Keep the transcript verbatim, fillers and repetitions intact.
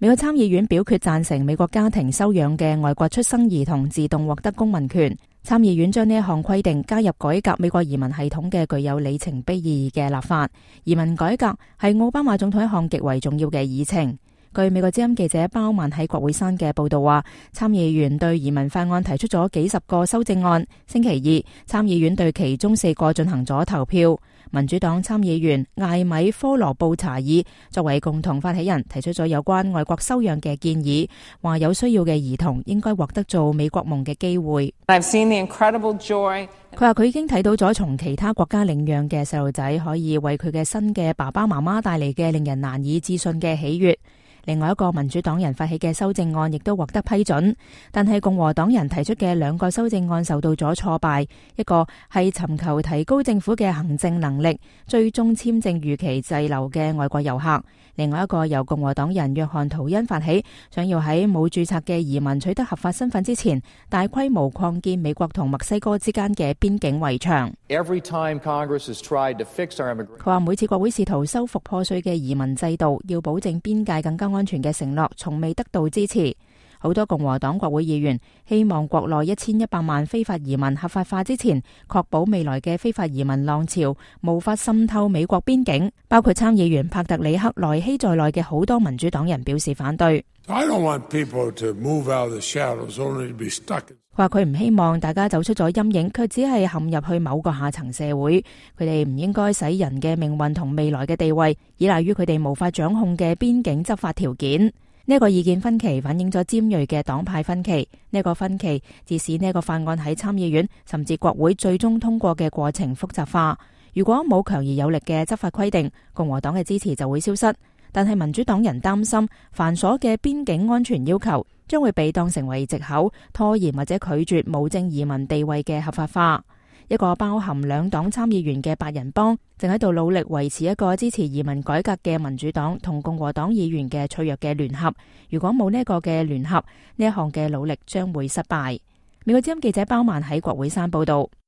美國參議院表決贊成美國家庭收養嘅外國出生兒童自動獲得公民權。參議院將呢一項規定加入改革美國移民系統嘅具有里程碑意義嘅立法。移民改革係奧巴馬總統一項極為重要嘅議程。據美國之音記者包曼喺國會山嘅報道話，參議員對移民法案提出咗幾十個修正案。星期二，參議院對其中四個進行咗投票。民主黨參議員艾米科羅布查爾作為共同發起人，提出咗有關外國收養嘅建議，話有需要嘅兒童應該獲得做美國夢嘅機會。I've seen the incredible joy. 佢話佢已經睇到咗從其他國家領養嘅細路仔可以為佢嘅新嘅爸爸媽媽帶嚟嘅令人難以置信嘅喜悅。另外一個民主黨人發起嘅修正案亦都獲得批准，但係共和黨人提出嘅兩個修正案受到咗挫敗。一個係尋求提高政府嘅行政能力，追蹤簽證逾期滯留嘅外國遊客；另外一個由共和黨人約翰圖恩發起，想要喺冇註冊嘅移民取得合法身份之前，大規模擴建美國同墨西哥之間嘅邊境圍牆。佢話每次國會試圖修復破碎嘅移民制度，要保證邊界更加安全嘅承諾從未得到支持。好多共和黨國會議員希望國內一千一百萬非法移民合法化之前，確保未來嘅非法移民浪潮無法滲透美國邊境。包括參議員帕特里克萊希在內嘅好多民主黨人表示反對。I don't want people to move out of the shadows only to be stuck. 話佢唔希望大家走出咗陰影，卻只係陷入去某個下層社會。佢哋唔應該使人嘅命運同未來嘅地位依賴於佢哋無法掌控嘅邊境執法條件。呢一個意見分歧反映咗尖銳嘅黨派分歧。呢一個分歧致使呢一個法案喺參議院甚至國會最終通過嘅過程複雜化。如果冇強而有力嘅執法規定，共和黨嘅支持就會消失。但係民主黨人擔心繁瑣嘅邊境安全要求將會被當成為藉口，拖延或者拒絕無證移民地位嘅合法化。一個包含兩黨參議員嘅八人幫正喺度努力維持一個支持移民改革嘅民主黨同共和黨議員嘅脆弱嘅聯合。如果冇呢一個嘅聯合，呢一項嘅努力將會失敗。美國之音記者包曼喺國會山報道。